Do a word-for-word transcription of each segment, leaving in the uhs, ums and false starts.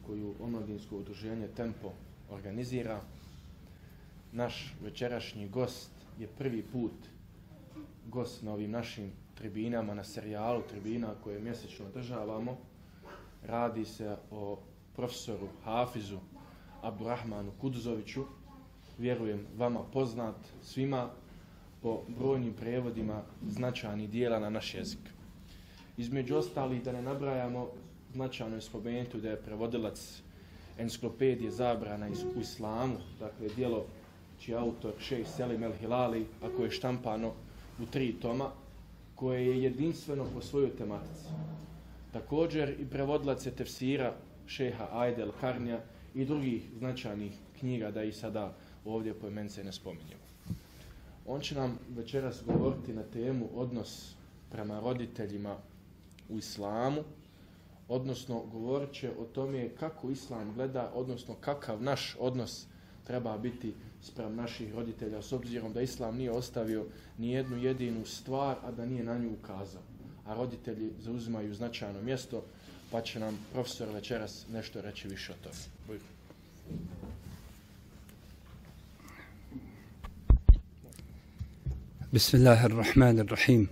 Koju omladinsko udruženje Tempo organizira. Naš večerašnji gost je prvi put gost na ovim našim tribinama, na serijalu tribina koje mjesečno održavamo. Radi se o profesoru Hafizu Abdurrahmanu Kuduzoviću, vjerujem vama poznat svima po brojnim prevodima značajnih dijela na naš jezik. Između ostalih, da ne nabrajamo, značajno je spomenuti da je prevodilac enciklopedije zabrana u islamu, dakle djelo čiji autor šejh Selim El Hilali, a koje je štampano u tri toma, koje je jedinstveno po svojoj tematici. Također i prevodilac je tefsira šeha Ajde El Karnija i drugih značajnih knjiga, da ih sada ovdje poimence ne spominjemo. On će nam večeras govoriti na temu odnos prema roditeljima u islamu, odnosno govorit će o tome kako islam gleda, odnosno kakav naš odnos treba biti spram naših roditelja, s obzirom da islam nije ostavio ni jednu jedinu stvar, a da nije na nju ukazao. A roditelji zauzimaju značajno mjesto, pa će nam profesor večeras nešto reći više o tome. Bismillahirrahmanirrahim.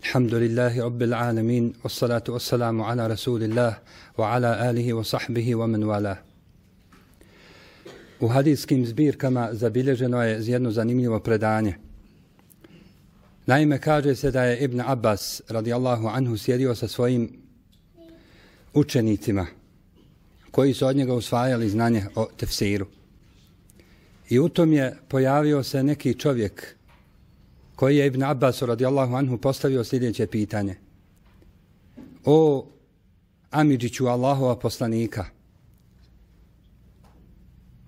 Alhamdulillahi rabbil alamin, wassalatu wassalamu ala rasulillah wa ala alihi wa sahbihi wa man wala. U hadijskim zbirkama zabilježeno je jedno zanimljivo predanje. Naime, kaže se da je Ibn Abbas radijallahu anhu sjedio sa svojim učenicima koji su od njega usvajali znanje o tefsiru. I u tom je pojavio se neki čovjek koji je Ibn Abbas radijallahu anhu postavio sljedeće pitanje. O Amidžiću Allahova poslanika,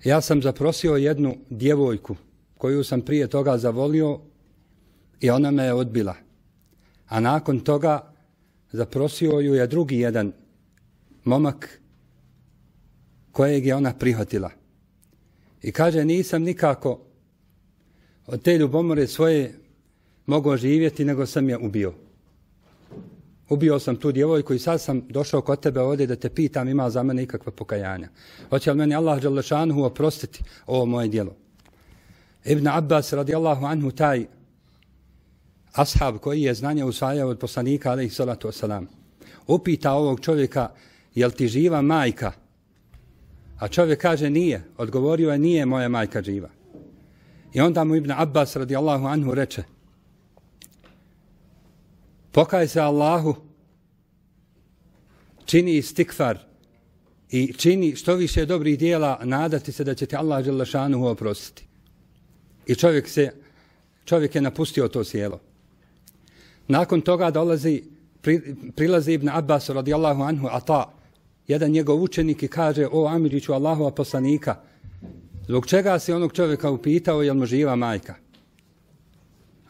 ja sam zaprosio jednu djevojku koju sam prije toga zavolio i ona me je odbila. A nakon toga zaprosio ju je drugi jedan momak kojeg je ona prihvatila. I kaže, nisam nikako od te ljubomore svoje mogao živjeti, nego sam je ubio. Ubio sam tu djevojku i sad sam došao kod tebe ovdje da te pitam ima za mene ikakva pokajanja. Hoće li meni Allah dželle šanuhu oprostiti ovo moje djelo? Ibn Abbas radijallahu anhu, taj ashab koji je znanje usvajao od poslanika alejhi salatu vesselam, upita ovog čovjeka, jel ti živa majka? A čovjek kaže nije. Odgovorio je, nije moja majka živa. I onda mu Ibn Abbas radijallahu anhu reče, pokaj se Allahu, čini istikfar i čini što više dobrih dijela, nadati se da će ti Allah dželle šanuhu oprostiti. I čovjek, se, čovjek je napustio to sjelo. Nakon toga dolazi, pri, prilazi Ibn Abbas radijallahu anhu, Ata, jedan njegov učenik, i kaže, o Amidžiću Allahova poslanika, zbog čega si onog čovjeka upitao jel mu živa majka?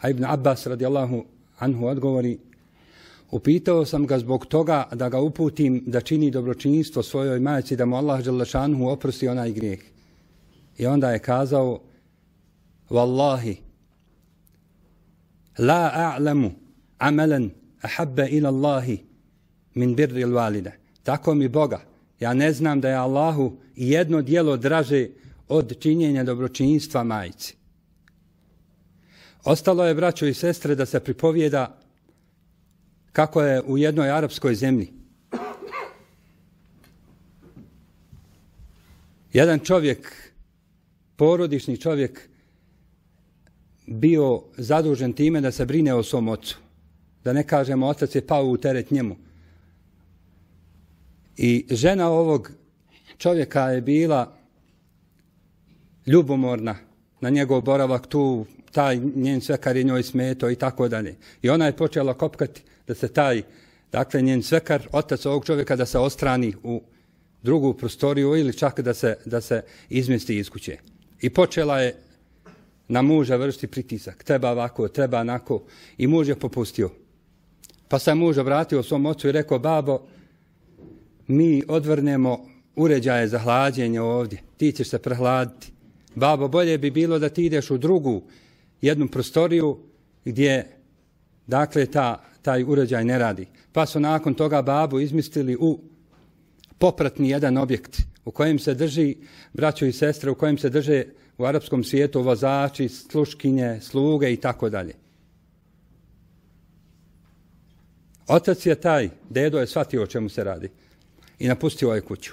A Ibn Abbas radijallahu anhu odgovori, upitao sam ga zbog toga da ga uputim da čini dobročinstvo svojoj majci, da mu Allah dželle šanuhu oprosti onaj grijeh. I onda je kazao, Wallahi, la a'lamu amalan ahabba ila Allahi min birri al-walida. Tako mi Boga, ja ne znam da je Allahu jedno djelo draže od činjenja dobročinstva majci. Ostalo je, braćo i sestre, da se pripovijeda kako je u jednoj arapskoj zemlji jedan čovjek, porodični čovjek, bio zadužen time da se brine o svom ocu. Da ne kažemo, otac je pao u teret njemu. I žena ovog čovjeka je bila ljubomorna na njegov boravak tu taj njen svekar je njoj smetao i tako dalje. I ona je počela kopkati da se taj, dakle njen svekar, otac ovog čovjeka, da se ostrani u drugu prostoriju ili čak da se, da se izmjesti iz kuće. I počela je na muža vršiti pritisak. Treba ovako, treba onako. I muž je popustio. Pa se muž obratio svom ocu i rekao, babo, mi odvrnemo uređaje za hlađenje ovdje. Ti ćeš se prehladiti. Babo, bolje bi bilo da ti ideš u drugu jednu prostoriju gdje, dakle, ta, taj uređaj ne radi. Pa su nakon toga babu izmislili u popratni jedan objekt u kojem se drži, braćo i sestre, u kojem se drže u arapskom svijetu vozači, sluškinje, sluge i tako dalje. Otac je taj, dedo je shvatio o čemu se radi i napustio je kuću.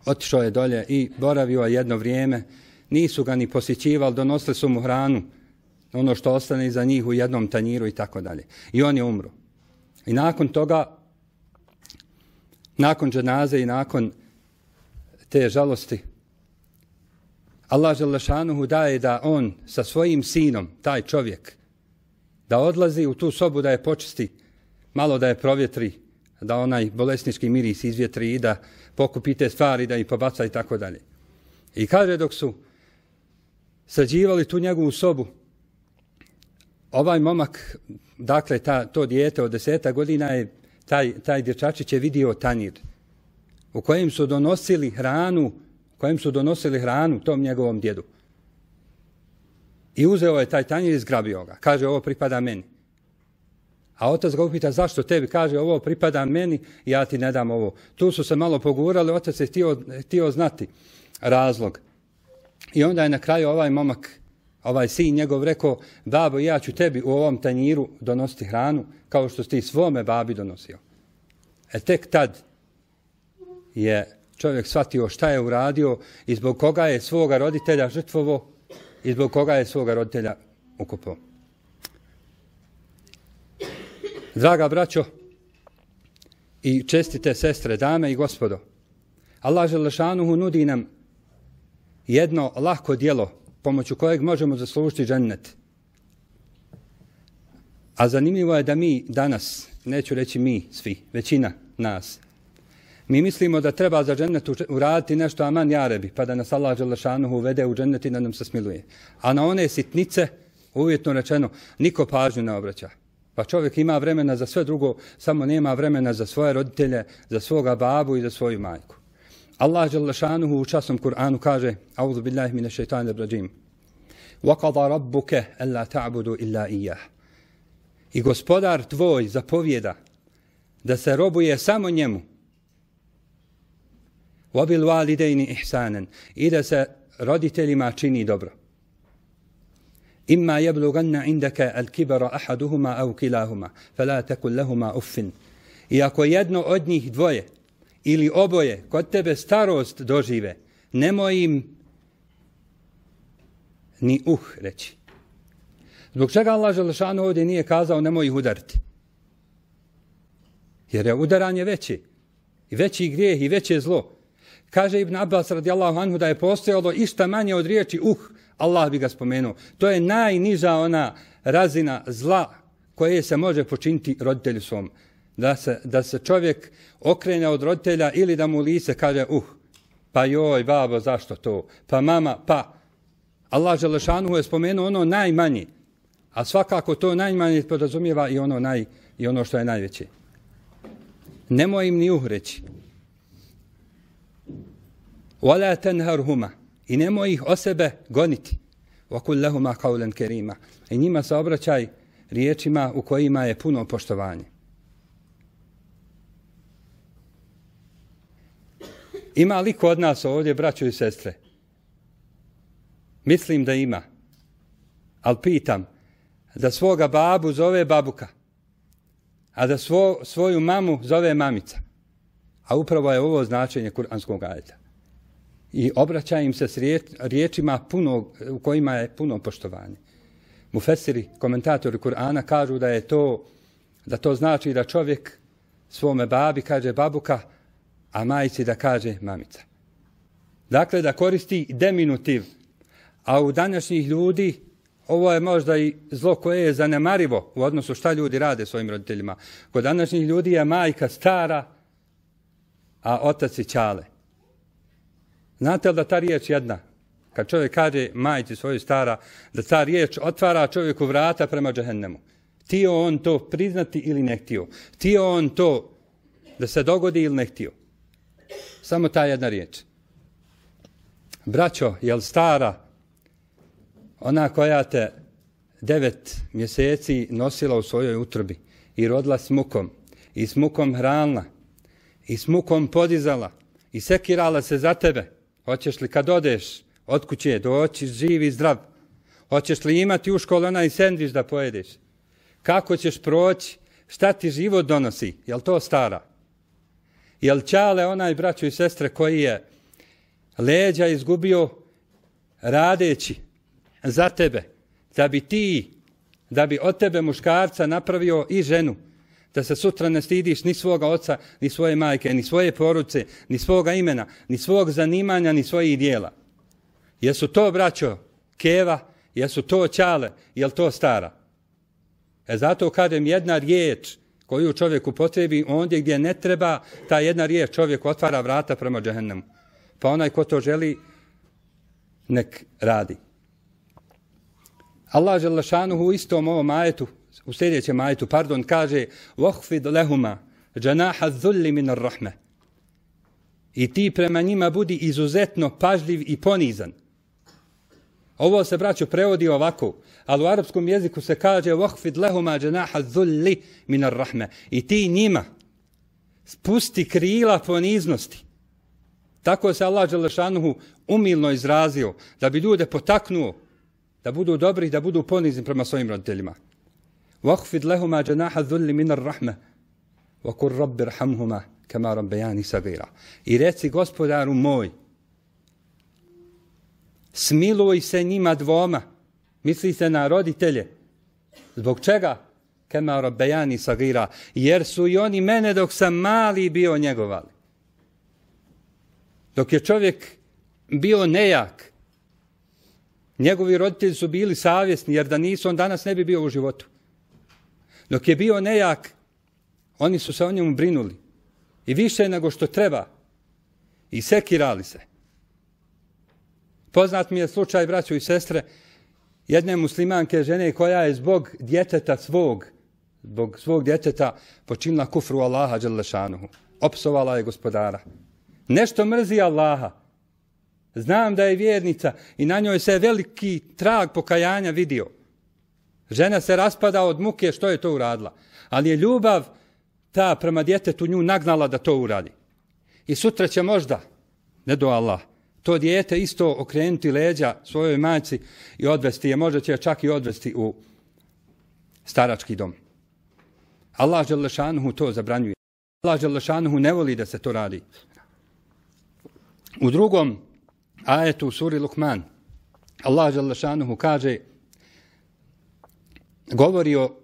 Otišao je dolje i boravio je jedno vrijeme. Nisu ga ni posjećivali, donosili su mu hranu, ono što ostane iza njih u jednom tanjiru i tako dalje. I on je umro. I nakon toga, nakon dženaze i nakon te žalosti, Allah dželešanuhu daje da on sa svojim sinom, taj čovjek, da odlazi u tu sobu da je počisti, malo da je provjetri, da onaj bolesnički miris izvjetri i da pokupi te stvari, da ih pobaca i tako dalje. I kaže dok su sređivali tu njegovu sobu, ovaj momak, dakle ta, to dijete od deseta godina je, taj, taj dječačić je vidio tanjir u kojem su donosili hranu, u kojem su donosili hranu tom njegovom djedu. I uzeo je taj tanjir i zgrabio ga. Kaže, ovo pripada meni. A otac ga upita, zašto tebi? Kaže, ovo pripada meni, ja ti ne dam ovo. Tu su se malo pogurali, otac je htio, htio znati razlog. I onda je na kraju ovaj momak, ovaj sin njegov rekao, babo, ja ću tebi u ovom tanjiru donositi hranu, kao što si ti svome babi donosio. E tek tad je čovjek shvatio šta je uradio i zbog koga je svoga roditelja žrtvovo i zbog koga je svoga roditelja ukopao. Draga braćo i čestite sestre, dame i gospodo, Allah dželešanuhu nudi nam jedno lahko djelo pomoću kojeg možemo zaslužiti džennet. A zanimljivo je da mi danas, neću reći mi svi, većina nas, mi mislimo da treba za džennet uraditi nešto aman jarebi, pa da nas Allah dželešanuhu uvede u džennet i da nam se smiluje. A na one sitnice, uvjetno rečeno, niko pažnju ne obraća. Pa čovjek ima vremena za sve drugo, samo nema vremena za svoje roditelje, za svoga babu i za svoju majku. Allah dželešanuhu u časnom Kur'anu kaže, A'udhu billahi mine šeitanir rajim, وَقَضَ رَبُّكَ أَلَّا تَعْبُدُوا إِلَّا إِيَّهُ. I gospodar tvoj zapovjeda da se robuje samo njemu. وَبِالْوَالِدَيْنِ إِحْسَانًا. I da se roditeljima čini dobro. إِمَّا يَبْلُغَنَّ عِنْدَكَ الْكِبَرَ أَحَدُهُمَا أَوْ كِلَاهُمَا فَلَا تَكُنْ لَهُمَا أُفٍّ. I ako jedno od njih dvoje ili oboje kod tebe starost dožive, nemoj im ni uh reći. Zbog čega Allah dželešanu ovdje nije kazao nemoj ih udariti? Jer je udaranje veće. I veći grijeh i veće zlo. Kaže Ibn Abbas radijallahu anhu da je postojalo išta manje od riječi uh, Allah bi ga spomenuo. To je najniža ona razina zla koje se može počiniti roditelju svom. Da se, da se čovjek okrene od roditelja ili da mu lice kaže uh, pa joj babo zašto to, pa mama, pa. Allah dželešanuhu je spomenuo ono najmanje, a svakako to najmanje podrazumijeva i ono, naj, i ono što je najveće. Nemoj im ni uh reći. وَلَا تَنْهَرْهُمَا. I nemoj ih o sebe goniti. وَقُلْ لَهُمَا قَوْلًا كَرِيمًا. I njima se obraćaj riječima u kojima je puno poštovanje. Ima li kod nas ovdje, braćo i sestre? Mislim da ima. Ali pitam, da svoga babu zove babuka, a da svo, svoju mamu zove mamica. A upravo je ovo značenje kuranskog ajeta. I obraća im se s riječ, riječima puno, u kojima je puno poštovanje. Mufesiri, komentatori Kur'ana kažu da je to, da to znači da čovjek svome babi kaže babuka, a majici da kaže mamica. Dakle, da koristi deminutiv. A u današnjih ljudi ovo je možda i zlo koje je zanemarivo u odnosu šta ljudi rade svojim roditeljima. Kod današnjih ljudi je majka stara, a otac i ćale. Znate li da ta riječ jedna, kad čovjek kaže majci svoju stara, da ta riječ otvara čovjeku vrata prema džehennemu. Htio on to priznati ili ne htio. Htio on to da se dogodi ili ne htio. Samo ta jedna riječ. Braćo, jel stara ona koja te devet mjeseci nosila u svojoj utrobi i rodila s mukom i s mukom hranila i s mukom podizala i sekirala se za tebe, hoćeš li kad odeš od kuće doći živ i zdrav, hoćeš li imati u školu onaj sendvič da pojedeš, kako ćeš proći, šta ti život donosi, jel to stara? Jel ćale onaj braćo i sestre koji je leđa izgubio radeći za tebe, da bi ti, da bi od tebe muškarca napravio i ženu, da se sutra ne stidiš ni svoga oca, ni svoje majke, ni svoje porodice, ni svoga imena, ni svog zanimanja, ni svojih dijela. Jesu to, braćo, keva, jesu to ćale, jel to stara? E zato kažem, jedna riječ koju čovjek upotrebi ondje gdje ne treba, ta jedna riječ čovjek otvara vrata prema džehennemu. Pa onaj ko to želi, nek radi. Allah dželle šanuhu u istom ovom ajetu, u sljedećem ajetu, pardon, kaže وَحْفِدْ لَهُمَا جَنَاحَ الذُّلِّ مِنَ الرَّحْمَةِ. I ti prema njima budi izuzetno pažljiv i ponizan. Ovo se, braćo, prevodi ovako, ali u arapskom jeziku se kaže وَحْفِدْ لَهُمَا جَنَاحَ الذُّلِّ مِنَ الرَّحْمَةِ. I ti njima spusti krila poniznosti. Tako se Allah dželle šanuhu umilno izrazio, da bi ljude potaknuo da budu dobri, da budu ponizni prema svojim roditeljima. وَحْفِدْ لَهُمَا جَنَاحَ الذُّلِّ مِنَ الرَّحْمَةِ وَقُلْ رَبِّ ارْحَمْهُمَا كَمَا رَبَّيَانِي صَغِيرًا. I reci, gospodaru moj, smiluj se njima dvoma, misli se na roditelje. Zbog čega? كَمَا رَبَّيَانِي صَغِيرًا. Jer su i oni mene dok sam mali bio njegovali. Dok je čovjek bio nejak, njegovi roditelji su bili savjesni, jer da nisu, on danas ne bi bio u životu. Dok je bio nejak, oni su se o njemu brinuli. I više nego što treba. I sekirali se. Poznat mi je slučaj, braćo i sestre, jedne muslimanke žene koja je zbog djeteta svog, zbog svog djeteta počinila kufru Allaha dželle šanuhu. Opsovala je gospodara. Nešto mrzi Allaha. Znam da je vjernica i na njoj se veliki trag pokajanja vidio. Žena se raspada od muke što je to uradila. Ali je ljubav ta prema djetetu nju nagnala da to uradi. I sutra će možda, ne do Allah, to dijete isto okrenuti leđa svojoj majci i odvesti je, možda će čak i odvesti u starački dom. Allah dželle šanuhu to zabranjuje. Allah dželle šanuhu ne voli da se to radi. U drugom ajetu u suri Lukman, Allah dželle šanuhu kaže, govori o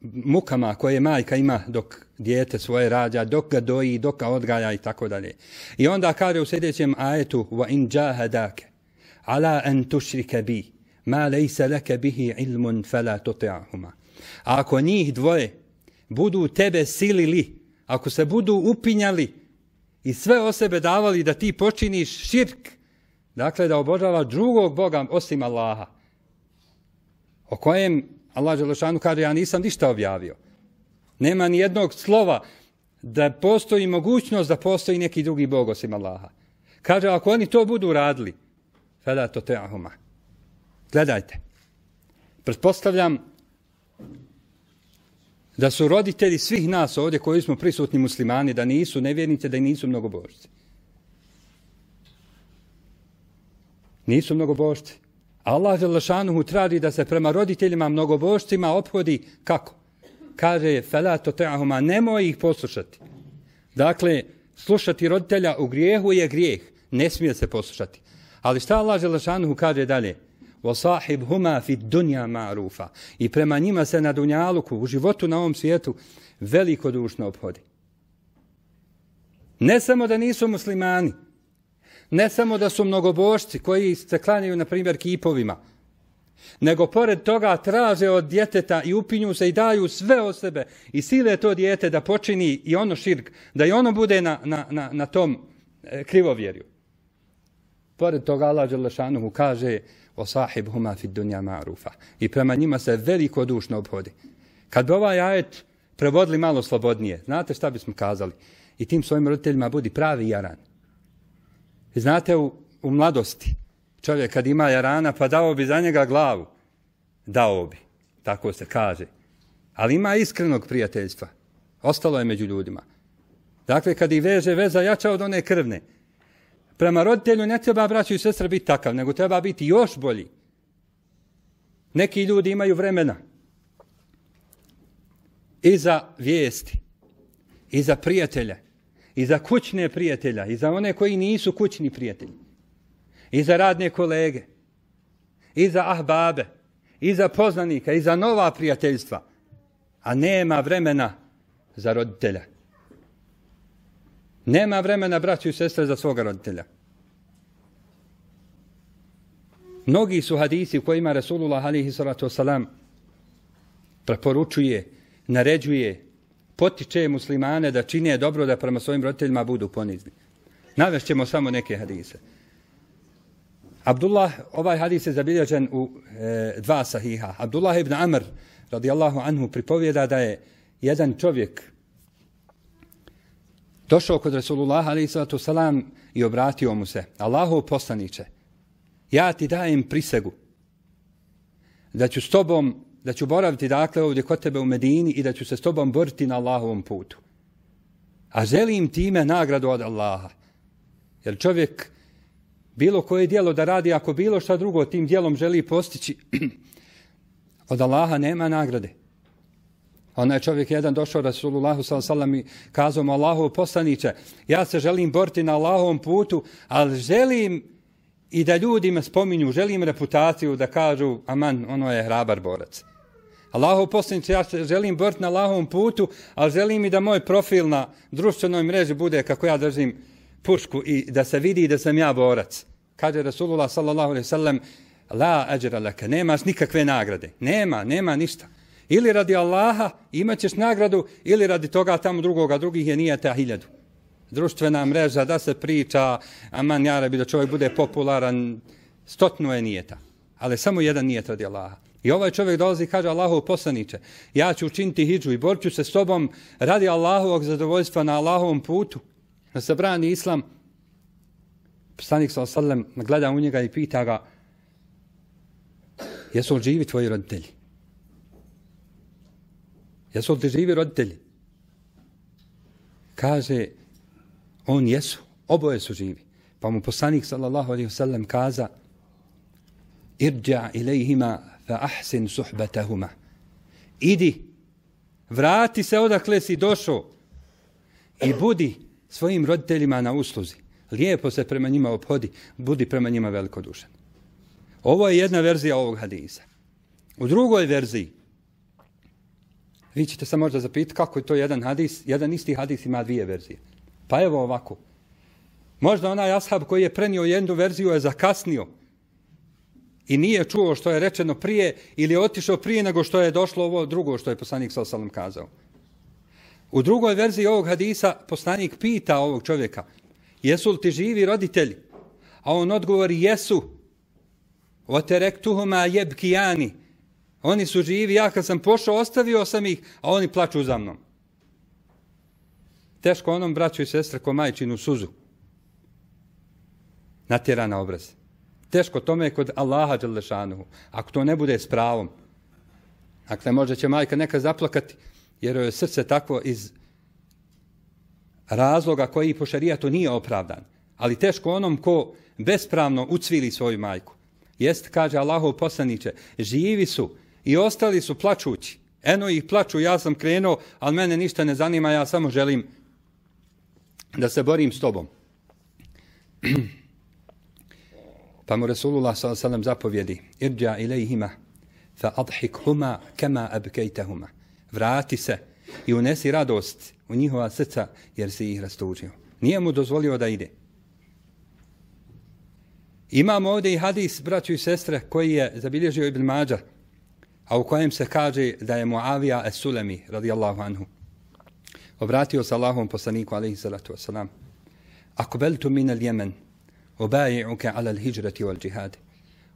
mukama koje majka ima dok dijete svoje rađa, dok ga doji, dok ga odgaja i tako dalje. I onda kaže u sljedećem ajetu وَإِنْ جَاهَدَاكَ عَلَىٰ أَنْ تُشْرِكَ بِي مَا لَيْسَ لَكَ بِهِ عِلْمٌ فَلَا تُطِعْهُمَا. Ako njih dvoje budu tebe silili, ako se budu upinjali i sve o sebe davali da ti počiniš širk, dakle da obožavaš drugog Boga osim Allaha, o kojem Allah dželle šanuhu kaže, ja nisam ništa objavio. Nema ni jednog slova da postoji mogućnost da postoji neki drugi Bog osim Allaha. Kaže, ako oni to budu radili, fela tuti'huma. Gledajte, pretpostavljam da su roditelji svih nas ovdje koji smo prisutni muslimani, da nisu nevjernici, da nisu mnogobožci. Nisu mnogobožci. Allah dželle šanuhu traži da se prema roditeljima mnogobožcima ophodi kako? Kaže, fela tuti'huma, nemoj ih poslušati. Dakle, slušati roditelja u grijehu je grijeh, ne smije se poslušati. Ali šta Allah dželle šanuhu kaže dalje? وَصَاحِبْهُمَا فِي الدُّنْيَا مَعْرُوفًا. I prema njima se na dunjaluku, u životu na ovom svijetu, velikodušno ophodi. Ne samo da nisu muslimani, ne samo da su mnogobožci koji se klanjaju, na primjer, kipovima, nego pored toga traže od djeteta i upinju se i daju sve od sebe i sile to dijete da počini i ono širk, da i ono bude na, na, na, na tom e, krivovjerju. Pored toga Allah dželle šanuhu kaže o sahibhuma fid dunja ma'rufa i prema njima se veliko dušno obhodi. Kad bi ovaj ajet prevodili malo slobodnije, znate šta bismo kazali? I tim svojim roditeljima budi pravi jaran. I znate u, u mladosti čovjek kad ima jarana pa dao bi za njega glavu. Dao bi, tako se kaže. Ali ima iskrenog prijateljstva. Ostalo je među ljudima. Dakle, kad ih veže veza jača od one krvne. Prema roditelju ne treba, braćo i sestre, biti takav, nego treba biti još bolji. Neki ljudi imaju vremena i za vijesti, i za prijatelje, i za kućne prijatelja, i za one koji nisu kućni prijatelji, i za radne kolege, i za ahbabe, i za poznanika, i za nova prijateljstva, a nema vremena za roditelja. Nema vremena, braćo i sestre, za svoga roditelja. Mnogi su hadisi u kojima Rasulullah alejhi salatu vesselam preporučuje, naređuje, potiče muslimane da čine dobro, da prema svojim roditeljima budu ponizni. Navešćemo samo neke hadise. Abdullah, ovaj hadis je zabilježen u e, dva sahiha. Abdullah ibn Amr, radijallahu anhu, pripovjeda da je jedan čovjek došao kod Rasulullah alejhi salatu vesselam i obratio mu se: Allahov poslaniče, ja ti dajem prisegu da ću s tobom, da ću boraviti dakle ovdje kod tebe u Medini i da ću se s tobom boriti na Allahovom putu. A želim time nagradu od Allaha. Jer čovjek bilo koje djelo da radi, ako bilo šta drugo tim djelom želi postići, od Allaha nema nagrade. Onaj čovjek jedan došao Rasulullahu sallallahu alejhi ve sellem i kazao mu: Allahov poslaniče, ja se želim boriti na Allahovom putu, ali želim i da ljudi me spominju, želim reputaciju da kažu aman, ono je hrabar borac. Allahov poslaniče, ja se želim boriti na Allahovom putu, ali želim i da moj profil na društvenoj mreži bude kako ja držim pušku i da se vidi da sam ja borac. Kaže Rasulullah sallallahu alejhi ve sellem: la ajra laka, nemaš nikakve nagrade. Nema, nema ništa. Ili radi Allaha imat ćeš nagradu, ili radi toga tamo drugoga, drugih je nijeta hiljadu. Društvena mreža, da se priča, aman jarabi, da čovjek bude popularan, stotno je nijeta. Ali samo jedan nijet radi Allaha. I ovaj čovjek dolazi i kaže: Allahov poslaniče, ja ću učiniti hidžu i borit ću se s tobom radi Allahovog zadovoljstva na Allahovom putu, da se brani islam. Poslanik sallallahu alejhi ve sellem gleda u njega i pita ga: jesu li živi tvoji roditelji? Jesu li ti živi roditelji? Kaže on: jesu, oboje su živi. Pa mu poslanik sallallahu alejhi ve sellem kaza: irđa ilejhima fa ahsin suhbatahuma. Idi, vrati se odakle si došao i budi svojim roditeljima na usluzi. Lijepo se prema njima ophodi, budi prema njima velikodušan. Ovo je jedna verzija ovog hadisa. U drugoj verziji vi ćete se možda zapitati kako je to jedan hadis, jedan isti hadis ima dvije verzije. Pa evo ovako. Možda onaj ashab koji je prenio jednu verziju je zakasnio i nije čuo što je rečeno prije ili je otišao prije nego što je došlo ovo drugo što je poslanik sallallahu alejhi ve sellem kazao. U drugoj verziji ovog hadisa poslanik pita ovog čovjeka: jesu li ti živi roditelji? A on odgovori: jesu. Oterektuhuma jebkijani. Oni su živi, ja kad sam pošao ostavio sam ih, a oni plaču za mnom. Teško onom braću i sestre ko majčinu suzu natjera na obraz. Teško tome kod Allaha dželle šanuhu, ako to ne bude s pravom. Dakle, možda će majka neka zaplakati jer joj je srce takvo iz razloga koji po šerijatu nije opravdan. Ali teško onom ko bespravno ucvili svoju majku. Jest, kaže Allahov poslaniče, živi su i ostali su plačući. Eno ih plaču, ja sam krenuo, ali mene ništa ne zanima, ja samo želim da se borim s tobom. Pa mu Rasulullah sallallahu alejhi ve sellem zapovjedi: irđa ilejhima fa adhikhuma kama abkejtahuma. Vrati se i unesi radost u njihova srca jer si ih rastužio. Nije mu dozvolio da ide. Imamo ovdje i hadis, braćo i sestre, koji je zabilježio Ibn Mađa, a u kojem se kaže da je Muavija es-Sulemi, radijallahu anhu, obratio se Allahovom poslaniku, alaihi salatu wasalam, akbeltu min al-Jemen, obaji'uke ala al-hijrati wal džihad.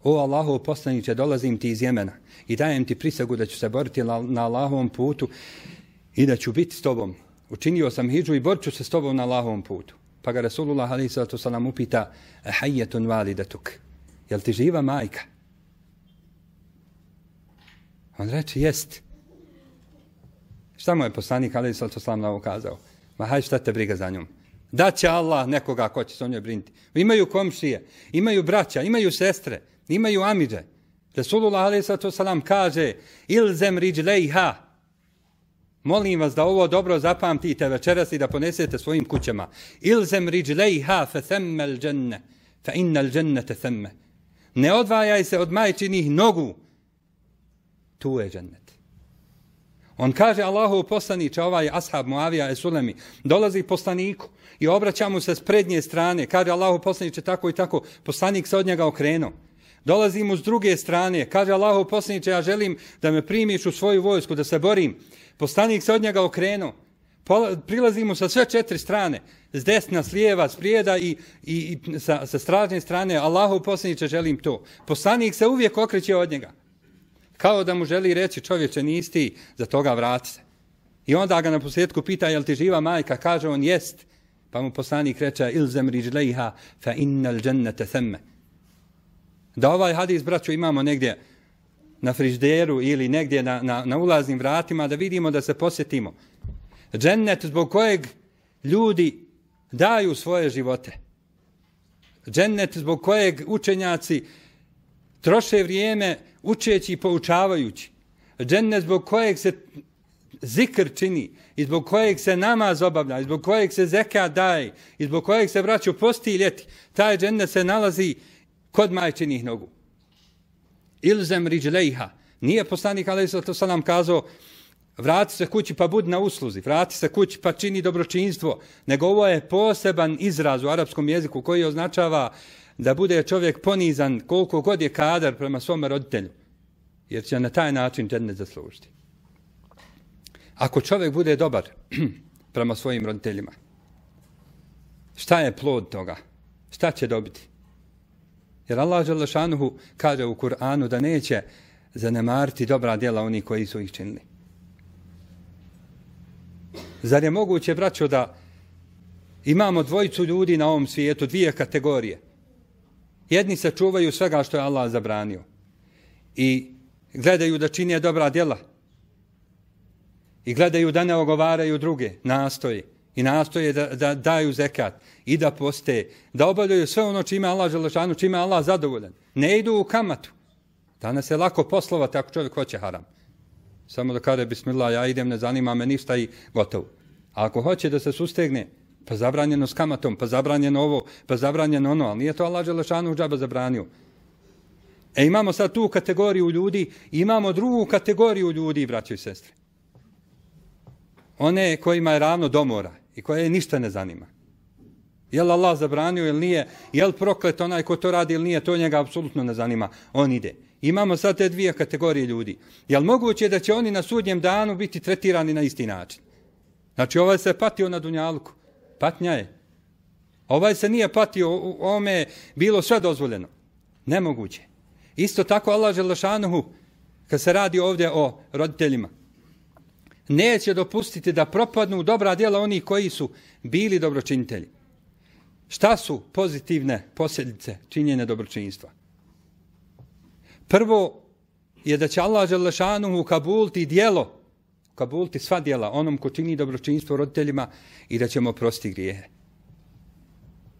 O Allahov poslaniče, dolazim ti iz Jemena i dajem ti prisegu da ću se boriti na Allahovom putu i da ću biti s tobom. Učinio sam hidžu i borit ću se s tobom na Allahovom putu. Pa ga Rasulullah alejhi salatu vesselam upita: "Hayatun walidatuk?" Jel ti živa majka? On reče: "Jest." Šta mu je poslanik alejhi salatu vesselam na ovo kazao? Ma haj, šta te briga za njom? Da će Allah nekoga ko će se o njoj brinuti. Imaju komšije, imaju braća, imaju sestre, imaju amidže. Rasulullah alejhi salatu vesselam kaže: "Ilzem rijlejha." Molim vas da ovo dobro zapamtite večeras i da ponesete svojim kućama. Ilzem rijlejha fa themma al-dženne, fa inna al-džennete themme. Ne odvajaj se od majčinih nogu. Tu je džennet. On kaže Allahov poslaniče, ovaj ashab Muavija es-Sulemi, dolazi poslaniku i obraća mu se s prednje strane. Kaže Allahov poslaniče tako i tako, poslanik se od njega okrenuo. Dolazi mu s druge strane, kaže Allahov poslaniče, ja želim da me primiš u svoju vojsku, da se borim. Poslanik se od njega okrenuo. Prilazi mu sa sve četiri strane, s desna, s lijeva, s prijeda i, i, i sa, sa stražne strane. Allahov poslaniče, želim to. Poslanik se uvijek okreće od njega. Kao da mu želi reći, čovječe, nisi ti, za toga vrati se. I onda ga na posljedku pita, jel ti živa majka? Kaže on, jest. Pa mu poslanik reče, ilzem rijlejha fa innal džennete themme. Da ovaj hadis, braćo, imamo negdje na frižderu ili negdje na, na, na ulaznim vratima, da vidimo, da se posjetimo. Džennet zbog kojeg ljudi daju svoje živote. Džennet zbog kojeg učenjaci troše vrijeme učeći i poučavajući. Džennet zbog kojeg se zikr čini i zbog kojeg se namaz obavlja, i zbog kojeg se zekat daje, i zbog kojeg se braćo posti i ljeti. Taj džennet se nalazi kod majčinih nogu. Ilzem rijlejha. Nije poslanik alejhi salatu vesselam kazao vrati se kući pa budi na usluzi, vrati se kući pa čini dobročinstvo, nego ovo je poseban izraz u arapskom jeziku koji označava da bude čovjek ponizan koliko god je kadar prema svome roditelju, jer će na taj način džennet zaslužiti. Ako čovjek bude dobar prema svojim roditeljima, šta je plod toga? Šta će dobiti? Jer Allah dželle šanuhu kaže u Kur'anu da neće zanemariti dobra djela oni koji su ih činili. Zar je moguće, braćo, da imamo dvojicu ljudi na ovom svijetu, dvije kategorije? Jedni se čuvaju svega što je Allah zabranio i gledaju da čine dobra djela i gledaju da ne ogovaraju druge, nastoje i nastoje da, da daju zekat i da poste, da obavljaju sve ono čime Allah želešanu, čime Allah zadovoljan. Ne idu u kamatu. Danas je lako poslovati ako čovjek hoće haram. Samo da kaže bismillah, ja idem, ne zanima me ništa i gotovo. A ako hoće da se sustegne, pa zabranjeno s kamatom, pa zabranjeno ovo, pa zabranjeno ono, ali nije to Allah dželešanu džaba zabranio. E imamo sad tu kategoriju ljudi, imamo drugu kategoriju ljudi, braćo i sestre. One kojima je ravno do mora i koje ništa ne zanima. Je li Allah zabranio ili nije, je li proklet onaj ko to radi ili nije, to njega apsolutno ne zanima. On ide. Imamo sad te dvije kategorije ljudi. Je li moguće da će oni na sudnjem danu biti tretirani na isti način? Znači ovaj se patio na dunjaluku. Patnja je. Ovaj se nije patio, ovome je bilo sve dozvoljeno. Nemoguće. Isto tako Allah dželešanuhu, kad se radi ovdje o roditeljima, neće dopustiti da propadnu dobra djela onih koji su bili dobročinitelji. Šta su pozitivne posljedice činjenja dobročinstva? Prvo je da će Allah dželešanuhu kabulti djelo, kabulti sva djela onom ko čini dobročinstvo roditeljima i da ćemo oprostiti grijehe.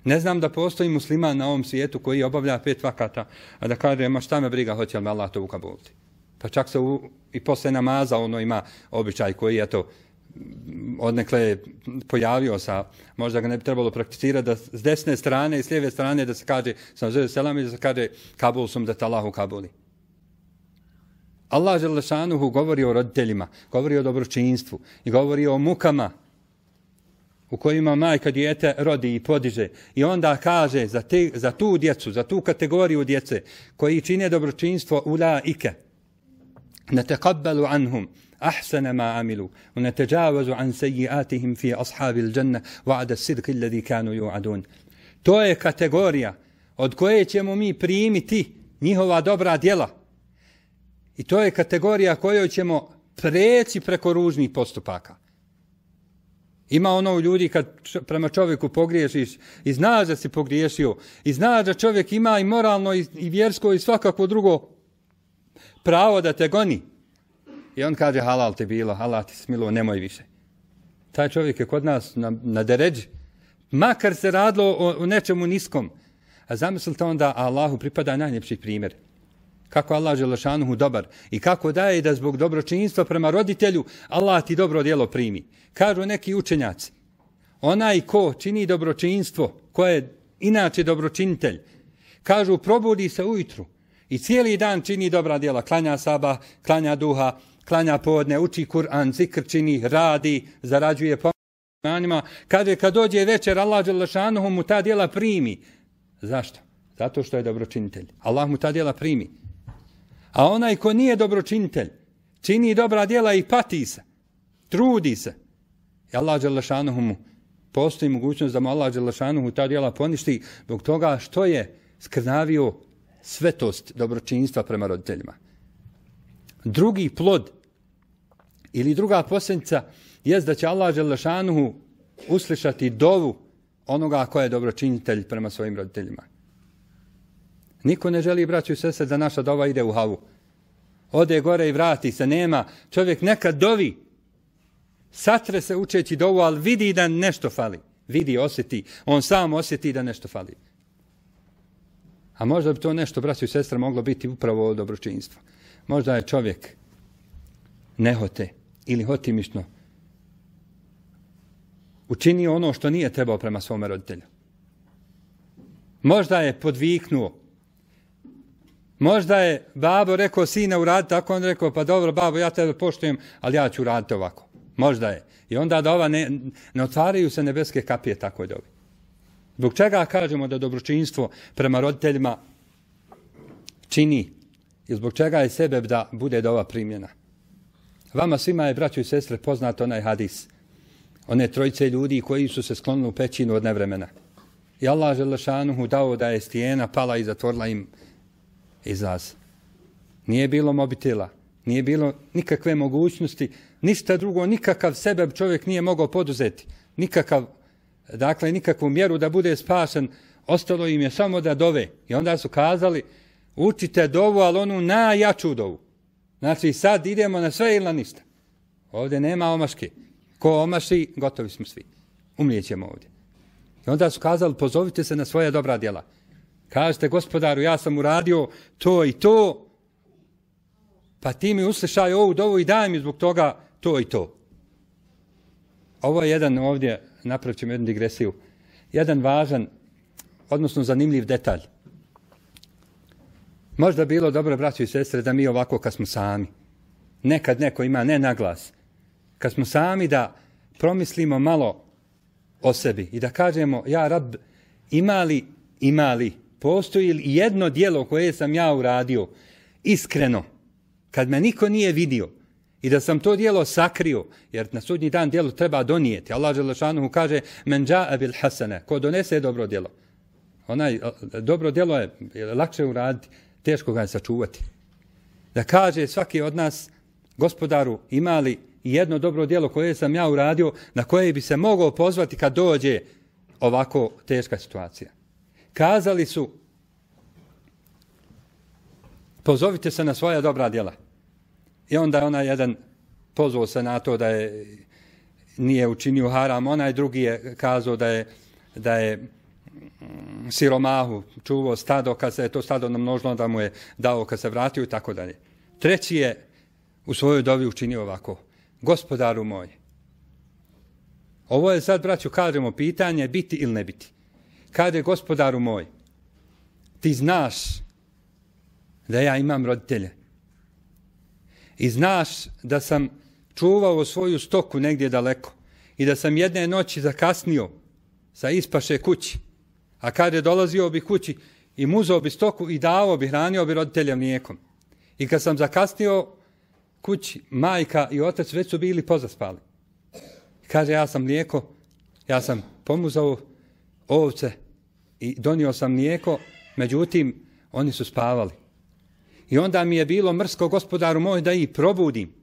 Ne znam da postoji musliman na ovom svijetu koji obavlja pet vakata, a da kaže, ma šta me briga, hoće li me Allah to ukabulti. Pa čak se u, i posle namaza ono ima običaj koji je to odnekle pojavio sa, možda ga ne bi trebalo prakticirati, da s desne strane i s lijeve strane da se kaže, sam zove selam i da se kaže, kabul sum da te Allah ukabuli. Allah dželešanuhu govori o roditeljima, govori o dobročinstvu i govori o mukama u kojima majka dijete rodi i podiže i onda kaže za, te, za tu djecu, za tu kategoriju djece koji čine dobročinstvo ulaike nataqabbalu anhum ahsana ma amilu wa natajawazu an sayyi'atihim fi ashabil janna wa'da as-sidqi alladhi kanu yu'adun. To je kategorija od koje ćemo mi primiti njihova dobra djela. I to je kategorija kojoj ćemo preći preko ružnih postupaka. Ima ono u ljudi kad prema čovjeku pogriješiš i znaš da si pogriješio i znaš da čovjek ima i moralno i, i vjersko i svakako drugo pravo da te goni. I on kaže halal ti bilo, halal ti smilo, nemoj više. Taj čovjek je kod nas na, na deređi. Makar se radilo o, o nečemu niskom. A zamislite onda Allahu pripada najljepši primjer. Kako Allah Želešanuhu dobar i kako daje da zbog dobročinstva prema roditelju Allah ti dobro djelo primi. Kažu neki učenjaci, onaj ko čini dobročinstvo, ko je inače dobročinitelj, kažu probudi se ujutru i cijeli dan čini dobra djela, klanja sabah, klanja duha, klanja podne, uči Kur'an, zikr čini, radi, zarađuje pomoćima. Kaže kad dođe večer Allah Želešanuhu mu ta djela primi. Zašto? Zato što je dobročinitelj. Allah mu ta djela primi. A onaj ko nije dobročinitelj, čini dobra djela i pati se, trudi se. I Allah Đelešanuhu mu postoji mogućnost da mu Allah Đelešanuhu ta djela poništi zbog toga što je skrnavio svetost dobročinstva prema roditeljima. Drugi plod ili druga posljedica jest da će Allah Đelešanuhu uslišati dovu onoga ko je dobročinitelj prema svojim roditeljima. Niko ne želi, braću i sestre, da naša dova ide u havu. Ode gore i vrati se, nema. Čovjek nekad dovi, satre se učeći dovu, ali vidi da nešto fali. Vidi, osjeti. On sam osjeti da nešto fali. A možda bi to nešto, braću i sestre, moglo biti upravo ovo dobročinstvo. Možda je čovjek nehote ili hotimišno učinio ono što nije trebao prema svome roditelju. Možda je podviknuo. Možda je babo rekao sine uradi tako, on rekao pa dobro babo ja tebe poštujem, ali ja ću uraditi ovako. Možda je. I onda da ova ne, ne otvaraju se nebeske kapije tako dobi. Zbog čega kažemo da dobročinstvo prema roditeljima čini i zbog čega je sebe da bude dova primljena. Vama svima je, braćo i sestre, poznat onaj hadis. One trojice ljudi koji su se sklonili u pećinu od nevremena. I Allah Želešanuhu dao da je stijena pala i zatvorila im izlaz. Nije bilo mobitela, nije bilo nikakve mogućnosti, ništa drugo, nikakav sebe čovjek nije mogao poduzeti. Nikakav, dakle, nikakvu mjeru da bude spašen, ostalo im je samo da dove. I onda su kazali, učite dovu, ali onu najjaču dovu. Znači, sad idemo na sve ili na ništa. Ovdje nema omaške. Ko omaši, gotovi smo svi. Umlijećemo ovdje. I onda su kazali, pozovite se na svoje dobra djela. Kažete, gospodaru, ja sam uradio to i to, pa ti mi uslišaj ovu dovu i daj mi zbog toga to i to. Ovo je jedan ovdje, napravit ćemo jednu digresiju, jedan važan, odnosno zanimljiv detalj. Možda bilo dobro, braćo i sestre, da mi ovako kad smo sami, nekad neko ima ne naglas, kad smo sami da promislimo malo o sebi i da kažemo, ja Rab, ima li, ima li, postoji li jedno djelo koje sam ja uradio iskreno, kad me niko nije vidio i da sam to djelo sakrio, jer na sudnji dan djelo treba donijeti. Allah Želešanuhu kaže, men dža'a bil hasane, ko donese dobro djelo. Onaj, dobro djelo je, je lakše uraditi, teško ga je sačuvati. Da kaže svaki od nas, gospodaru, ima li jedno dobro djelo koje sam ja uradio, na koje bi se mogao pozvati kad dođe ovako teška situacija. Kazali su, pozovite se na svoja dobra djela. I onda je onaj jedan pozvao se na to da je nije učinio haram, onaj drugi je kazao da je, da je siromahu čuvao stado, kad se je to stado namnožilo da mu je dao kad se vratio i tako dalje. Treći je u svojoj dovi učinio ovako, gospodaru moj. Ovo je sad, braću, kažemo pitanje biti ili ne biti. Kaže, gospodaru moj, ti znaš da ja imam roditelje i znaš da sam čuvao svoju stoku negdje daleko i da sam jedne noći zakasnio sa ispaše kući, a kad je dolazio bi kući i muzao bi stoku i davao bi, hranio bi roditelja mlijekom. I kad sam zakasnio kući, majka i otac već su bili pozaspali. Kaže, ja sam mlijeko, ja sam pomuzao ovce i donio sam mlijeko, međutim, oni su spavali. I onda mi je bilo mrsko, gospodaru moj, da ih probudim.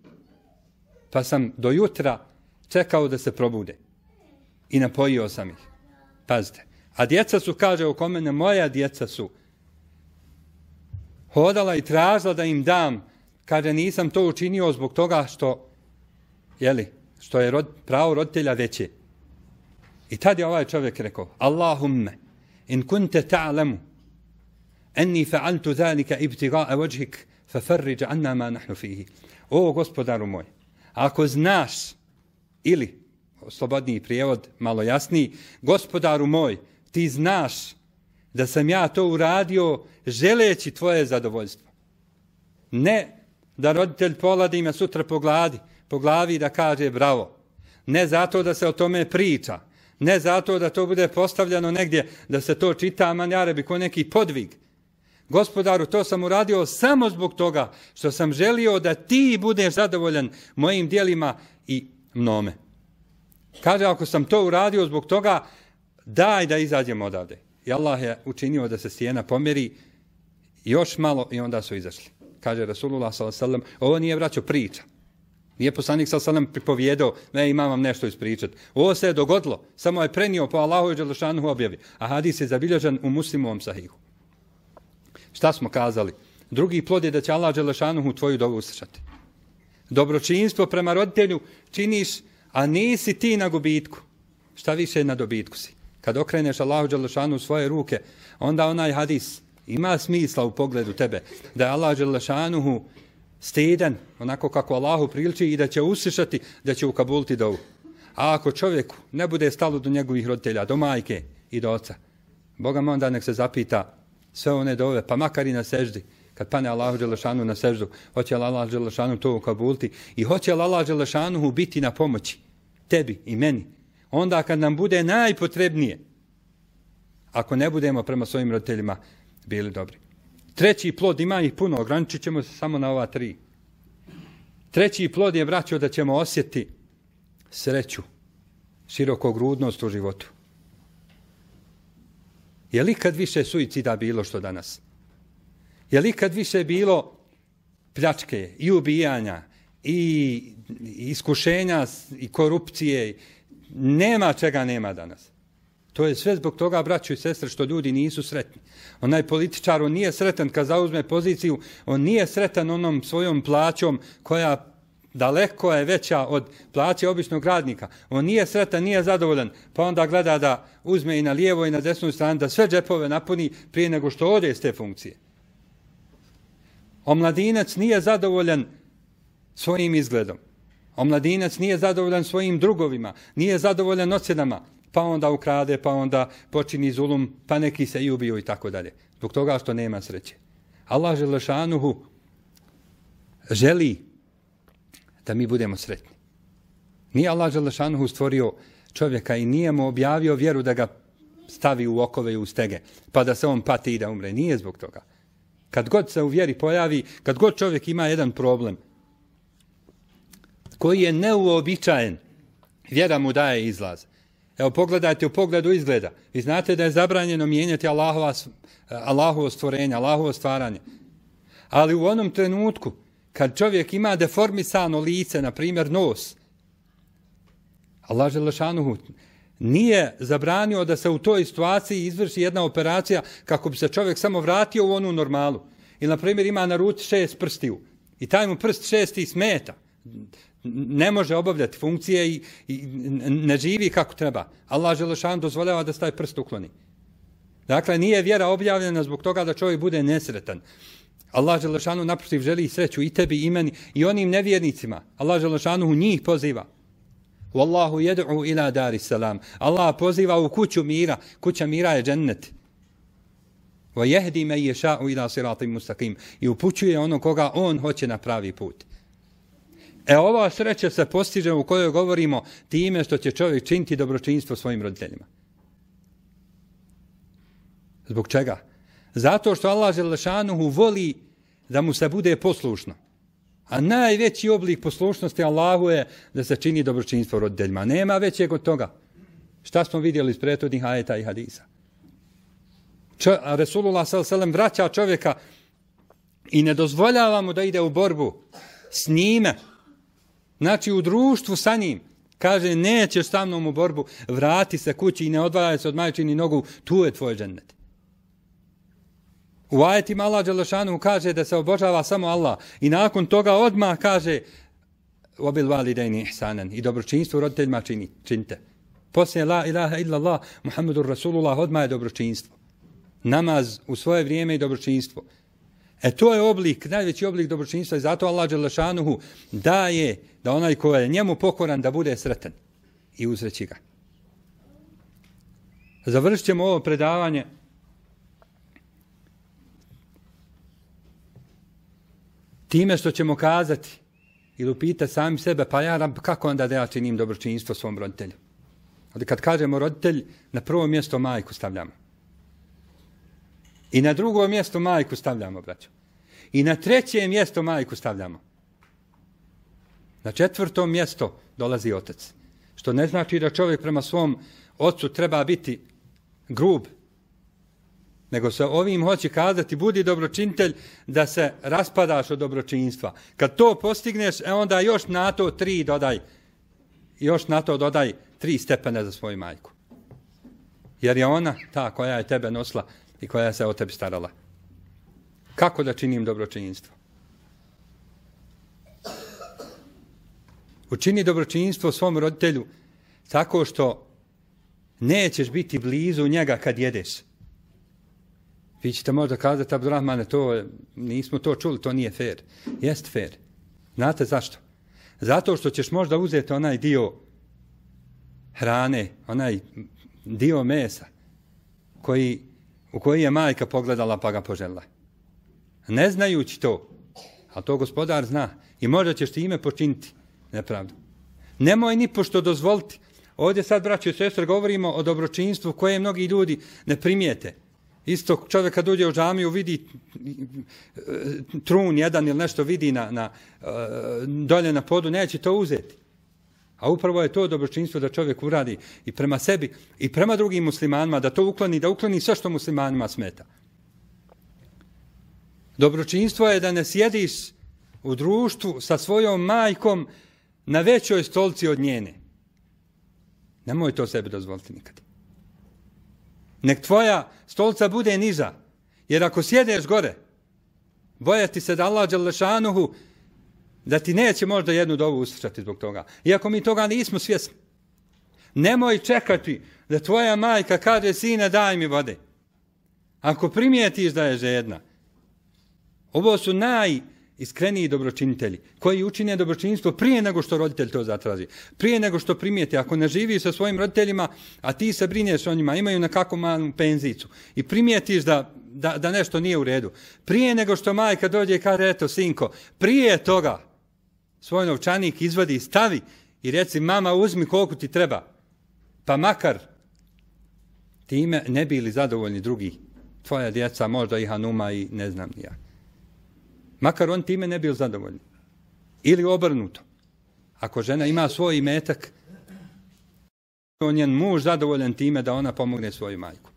Pa sam do jutra čekao da se probude. I napojio sam ih. Pazite. A djeca su, kaže oko mene, moja djeca su hodala i tražila da im dam. Kaže, nisam to učinio zbog toga što, jeli, što je rod, pravo roditelja veće. I tad je ovaj čovjek rekao, Allahumme, in kunte ta'lamu, enni fa'altu zalika ibtiga'a wajhik, fafarriđa anna ma nahnu fihi. O, gospodaru moj, ako znaš, ili, slobodniji prijevod, malo jasniji, gospodaru moj, ti znaš da sam ja to uradio želeći tvoje zadovoljstvo. Ne da roditelj poladi me sutra po gladi, po glavi da kaže bravo. Ne zato da se o tome priča. Ne zato da to bude postavljeno negdje, da se to čita, man jarebi, ko neki podvig. Gospodaru, to sam uradio samo zbog toga što sam želio da ti budeš zadovoljan mojim dijelima i mnome. Kaže, ako sam to uradio zbog toga, daj da izađemo odavde. I Allah je učinio da se stijena pomjeri još malo i onda su izašli. Kaže Rasulullah sallallahu alejhi ve sellem, ovo nije, braćo, priča. Nije poslanik sallallahu alejhi ve sellem pripovjedao, ne, imam vam nešto ispričati. Ovo se je dogodilo, samo je prenio po Allahu i dželešanuhu objavi. A hadis je zabilježen u Muslimovom sahihu. Šta smo kazali? Drugi plod je da će Allah dželešanuhu tvoju dovu uslišati. Dobročinstvo prema roditelju činiš, a nisi ti na gubitku. Šta više na dobitku si. Kad okreneš Allahu dželešanuhu svoje ruke, onda onaj hadis ima smisla u pogledu tebe, da je Allah dželešanuhu stidan, onako kako Allahu priliči, i da će uslišati, da će ukabuliti dovu. A ako čovjeku ne bude stalo do njegovih roditelja, do majke i do oca, Boga mu onda nek se zapita sve one dove, pa makar i na seždi, kad pane Allahu dželešanu na seždu, hoće li Allah dželešanu to ukabuliti i hoće li Allah dželešanu biti na pomoći tebi i meni. Onda kad nam bude najpotrebnije, ako ne budemo prema svojim roditeljima bili dobri. Treći plod, ima ih puno, ograničit ćemo se samo na ova tri. Treći plod je, braćo, da ćemo osjetiti sreću, širokogrudnost u životu. Je li kad više suicida bilo što danas? Je li kad više bilo pljačke i ubijanja i iskušenja i korupcije? Nema čega nema danas. To je sve zbog toga, braćo i sestre, što ljudi nisu sretni. Onaj političar, on nije sretan kad zauzme poziciju, on nije sretan onom svojom plaćom koja daleko je veća od plaće običnog radnika. On nije sretan, nije zadovoljan, pa onda gleda da uzme i na lijevo i na desnu stranu, da sve džepove napuni prije nego što ode iz te funkcije. Omladinac nije zadovoljan svojim izgledom. Omladinac nije zadovoljan svojim drugovima, nije zadovoljan ocjenama, pa onda ukrade, pa onda počini zulum, pa neki se i ubiju i tako dalje. Zbog toga što nema sreće. Allah dželešanuhu želi da mi budemo sretni. Nije Allah dželešanuhu stvorio čovjeka i nije mu objavio vjeru da ga stavi u okove i u stege, pa da se on pati i da umre. Nije zbog toga. Kad god se u vjeri pojavi, kad god čovjek ima jedan problem koji je neuobičajen, vjera mu daje izlaz. Evo, pogledajte u pogledu izgleda. Vi znate da je zabranjeno mijenjati Allahova, Allahovo stvorenje, Allahovo stvaranje. Ali u onom trenutku, kad čovjek ima deformisano lice, na primjer nos, Allah dželešanuhu nije zabranio da se u toj situaciji izvrši jedna operacija kako bi se čovjek samo vratio u onu normalu. Ili, na primjer, ima na ruci šest prstiju i taj mu prst šesti smeta. Ne može obavljati funkcije i, i ne živi kako treba. Allah dželešan dozvoljava da se taj prst ukloni. Dakle, nije vjera objavljena zbog toga da čovjek bude nesretan. Allah dželešanu naprotiv želi sreću i tebi i meni i onim nevjernicima. Allah dželešanu njih poziva. Wallahu yad'u ila daris salam. Allah poziva u kuću mira. Kuća mira je džennet. Wa yahdi man yasha'u ila siratin mustaqim. I upućuje ono koga on hoće na pravi put. E ova sreća se postiže u kojoj govorimo time što će čovjek činiti dobročinstvo svojim roditeljima. Zbog čega? Zato što Allah dželešanuhu voli da mu se bude poslušno. A najveći oblik poslušnosti Allahu je da se čini dobročinstvo roditeljima. Nema većeg od toga. Šta smo vidjeli iz prethodnih ajeta i hadisa? Čo, a Resulullah sallallahu alejhi ve sellem vraća čovjeka i ne dozvoljava mu da ide u borbu s njime. Znači u društvu sa njim. Kaže, nećeš sa mnom u borbu, vrati se kući i ne odvajaj se od majčini nogu, tu je tvoj džennet. U ajetima Allah dželešanu kaže da se obožava samo Allah i nakon toga odmah kaže obil validejni ihsanan i dobročinstvo roditeljima čini, činite. Poslije la ilaha illallah Muhammedur Rasulullah odmah je dobročinstvo. Namaz u svoje vrijeme i dobročinstvo. E to je oblik, najveći oblik dobročinstva i zato Allah dželešanuhu daje da onaj ko je njemu pokoran da bude sretan i uzreći ga. Završit ćemo ovo predavanje time što ćemo kazati ili upitati sami sebe, pa ja rab, kako onda da ja činim dobročinstvo svom roditelju? Ovdje kad kažemo roditelj, na prvo mjesto majku stavljamo. I na drugo mjesto majku stavljamo, braćo. I na treće mjesto majku stavljamo. Na četvrto mjesto dolazi otac. Što ne znači da čovjek prema svom ocu treba biti grub. Nego se ovim hoće kazati, budi dobročinitelj da se raspadaš od dobročinstva. Kad to postigneš, e onda još na to tri dodaj. Još na to dodaj tri stepene za svoju majku. Jer je ona ta koja je tebe nosila i koja se o tebi starala. Kako da činim dobročinstvo? Učini dobročinstvo svom roditelju tako što nećeš biti blizu njega kad jedeš. Vi ćete možda kazati, Abdurrahmane, to, nismo to čuli, to nije fair. Jest fair. Znate zašto? Zato što ćeš možda uzeti onaj dio hrane, onaj dio mesa koji, u koji je majka pogledala pa ga poželjela. Ne znajući to, a to gospodar zna, i možda ćeš ti ime počiniti nepravdu. Nemoj ni pošto dozvoliti. Ovdje sad, braćo i sestre, govorimo o dobročinstvu koje mnogi ljudi ne primijete. Isto čovjek kad uđe u džamiju vidi trun jedan ili nešto vidi na, na, dolje na podu, neće to uzeti. A upravo je to dobročinstvo da čovjek uradi i prema sebi i prema drugim muslimanima, da to ukloni, da ukloni sve što muslimanima smeta. Dobročinstvo je da ne sjediš u društvu sa svojom majkom na većoj stolci od njene. Nemoj to sebi dozvoliti nikad. Nek tvoja stolca bude niža, jer ako sjedeš gore, bojati se da Allah dželešanuhu da ti neće možda jednu dovu uslišati zbog toga. Iako mi toga nismo svjesni. Nemoj čekati da tvoja majka kaže, sine, daj mi vode. Ako primijetiš da je žedna. Ovo su najiskreniji dobročinitelji koji učine dobročinstvo prije nego što roditelj to zatraži. Prije nego što primijeti. Ako ne živi sa svojim roditeljima, a ti se brineš o njima, imaju nekakvu malu penzicu i primijetiš da, da, da nešto nije u redu. Prije nego što majka dođe i kaže, eto, sinko, prije toga svoj novčanik izvadi i stavi i reci, mama, uzmi koliko ti treba. Pa makar time ne bili zadovoljni drugi. Tvoja djeca, možda i Hanuma i ne znam ni ja. Makar on time ne bio zadovoljni. Ili obrnuto. Ako žena ima svoj imetak, on je muž zadovoljan time da ona pomogne svoju majku.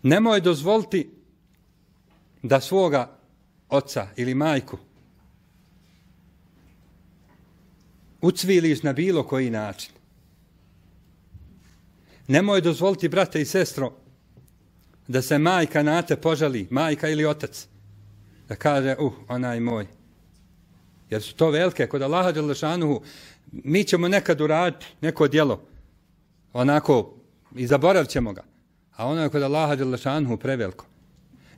Nemoj dozvoliti da svoga oca ili majku ucviliš na bilo koji način. Nemoj dozvoliti, brate i sestro, da se majka na te požali, majka ili otac, da kaže, uh, onaj moj. Jer su to velike, kod Allaha dželešanuhu, mi ćemo nekad uraditi neko djelo, onako, i zaboravit ćemo ga. A ono je kod Allaha dželešanuhu preveliko.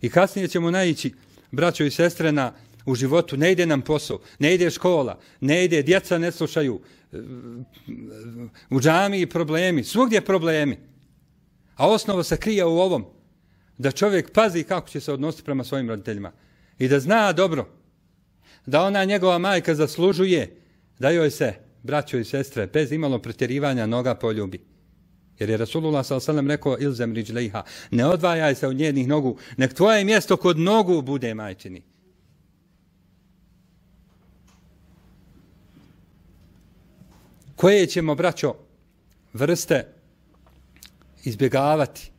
I kasnije ćemo naići, braćo i sestre, na, u životu, ne ide nam posao, ne ide škola, ne ide, djeca ne slušaju, u džamiji problemi, svugdje problemi. A osnova se krije u ovom, da čovjek pazi kako će se odnositi prema svojim roditeljima i da zna dobro da ona njegova majka zaslužuje da joj se, braćo i sestre, bez imalo pretjerivanja noga poljubi. Jer je Rasulullah sallallahu alejhi ve sellem rekao ilzem riđlejha, ne odvajaj se od njenih nogu, nek tvoje mjesto kod nogu bude majčini. Koje ćemo, braćo, vrste izbjegavati?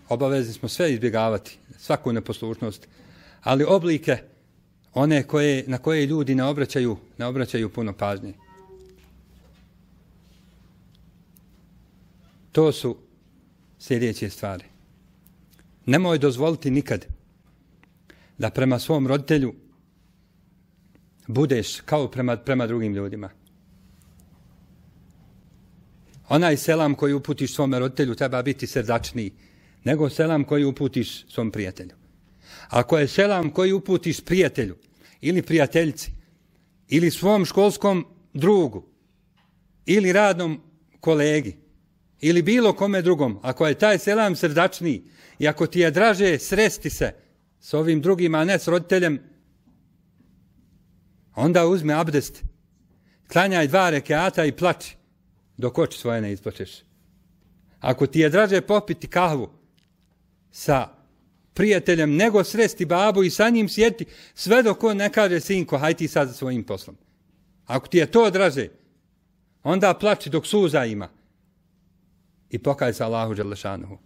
Obavezni smo sve izbjegavati, svaku neposlušnost, ali oblike one koje, na koje ljudi ne obraćaju, ne obraćaju puno pažnje. To su sljedeće stvari. Nemoj dozvoliti nikad da prema svom roditelju budeš kao prema, prema drugim ljudima. Onaj selam koji uputiš svome roditelju treba biti srdačniji nego selam koji uputiš svom prijatelju. Ako je selam koji uputiš prijatelju ili prijateljici ili svom školskom drugu ili radnom kolegi ili bilo kome drugom, ako je taj selam srdačniji i ako ti je draže sresti se s ovim drugim, a ne s roditeljem, onda uzmi abdest, klanjaj dva rekiata i plači dok oči svoje ne isplačeš. Ako ti je draže popiti kahvu sa prijateljem nego sresti babu i sa njim sjeti sve dok on ne kaže sinko, haj ti sad za svojim poslom. Ako ti je to draže, onda plači dok suza ima i pokaj se Allahu dželešanuhu.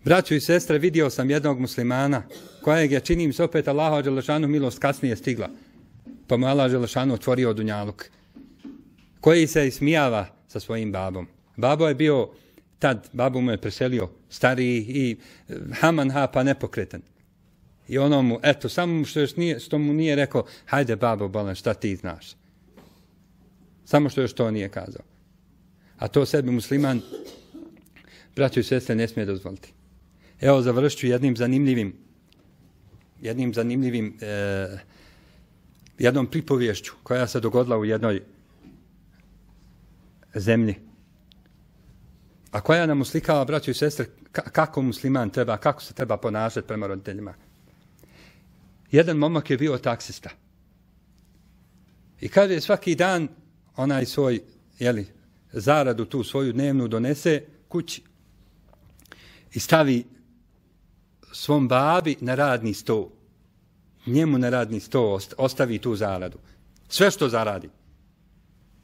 Braćo i sestre, vidio sam jednog muslimana kojeg je, činim se opet Allahu dželešanuhu milost kasnije stigla, pa mu Allah dželešanuhu otvorio dunjaluk, koji se ismijava sa svojim babom. Babo je bio tad, babu mu je preselio stariji i haman ha pa nepokretan. I ono mu, eto, samo što, još nije, što mu nije rekao, hajde babo bolan, šta ti znaš. Samo što još to nije kazao. A to sebi musliman, braćo i sestre, ne smije dozvoliti. Evo, završit ću jednim zanimljivim, jednim zanimljivim, eh, jednom pripovješću koja se dogodila u jednoj zemlji. A koja nam uslikava, braćo i sestre, kako musliman treba, kako se treba ponašati prema roditeljima. Jedan momak je bio taksista. I kaže, svaki dan onaj svoj, jeli, zaradu tu svoju dnevnu donese kući i stavi svom babi na radni sto. Njemu na radni sto ostavi tu zaradu. Sve što zaradi.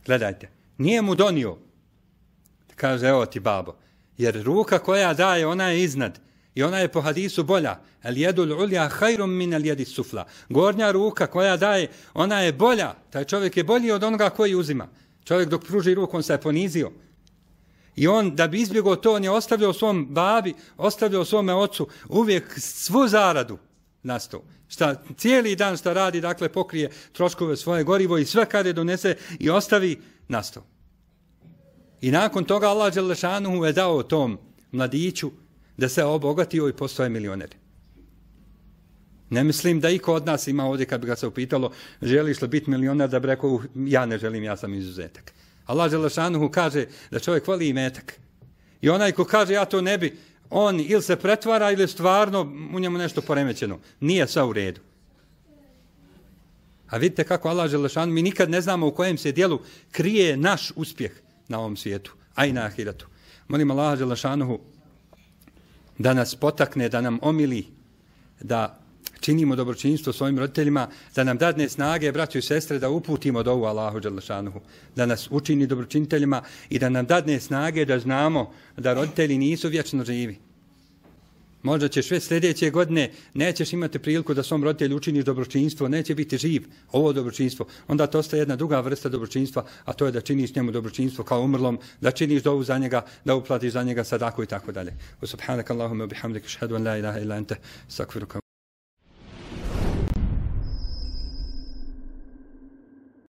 Gledajte, nije mu donio. Kaže, evo ti babo. Jer ruka koja daje, ona je iznad. I ona je po hadisu bolja. El jedul ulja hajrum min el jedi sufla. Gornja ruka koja daje, ona je bolja. Taj čovjek je bolji od onoga koji uzima. Čovjek dok pruži ruku, on se je ponizio. I on, da bi izbjegao to, on je ostavljao svom babi, ostavljao svome ocu uvijek svu zaradu na sto. Šta cijeli dan šta radi, dakle pokrije troškove svoje gorivo i sve kada je donese i ostavi na sto. I nakon toga Allah dželešanuhu je dao tom mladiću da se obogatio i postoje milioner. Ne mislim da iko od nas ima ovdje, kad bi ga se upitalo, želiš li biti milioner, da bi rekao, ja ne želim, ja sam izuzetak. Allah dželešanuhu kaže da čovjek voli imetak. I onaj ko kaže, ja to ne bi, on ili se pretvara ili stvarno u njemu nešto poremećeno. Nije sve u redu. A vidite kako Allah dželešanuhu, mi nikad ne znamo u kojem se dijelu krije naš uspjeh na ovom svijetu, a i na ahiratu. Molim Allaha dželešanuhu da nas potakne, da nam omili, da činimo dobročinstvo svojim roditeljima, da nam dadne snage, braćo i sestre, da uputimo dovu Allahu dželešanuhu, da nas učini dobročiniteljima i da nam dadne snage da znamo da roditelji nisu vječno živi. Možda ćeš već sljedeće godine, nećeš imati priliku da svom roditelju učiniš dobročinstvo, neće biti živ ovo dobročinstvo. Onda to ostaje jedna druga vrsta dobročinstva, a to je da činiš njemu dobročinstvo kao umrlom, da činiš dovu za njega, da uplatiš za njega sadaku i tako dalje. Subhanakallahumma bihamdika, ashhadu an la ilaha illa anta, astaghfiruka.